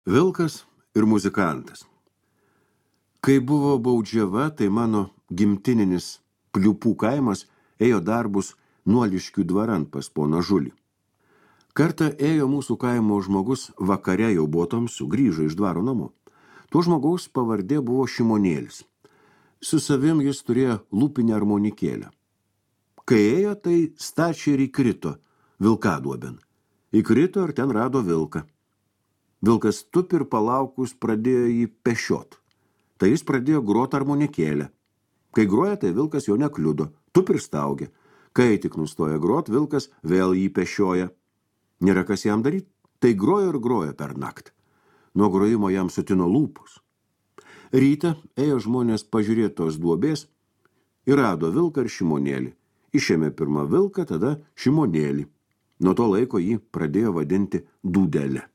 Vilkas ir muzikantas. Kai buvo Baudžiava, tai mano gimtininis Pliupų kaimas ėjo darbus Nuoliškių dvaran pas poną Žulį. Kartą ėjo mūsų kaimo žmogus, vakare jau buvo tamsu, grįžo iš dvaro namo. Tuo žmogaus pavardė buvo Šimonėlis. Su savim jis turėjo lūpinę armonikėlę. Kai ėjo, tai stačiai ir įkrito vilkaduobin. Įkrito ir ten rado vilką. Vilkas tupi ir palaukus pradėjo jį pešiot. Tai jis pradėjo grot armonikėlę. Kai groja, tai vilkas jo nekliudo, tupi ir staugia. Kai tik nustoja grot, vilkas vėl jį pešioja. Nėra kas jam daryti, tai grojo ir grojo per naktį. Nuo grojimo jam sutino lūpus. Rytą ėjo žmonės pažiūrėti tos duobės ir rado vilką ir Šimonėlį. Išėmė pirmą vilką, tada Šimonėlį. Nuo to laiko jį pradėjo vadinti Dūdelė.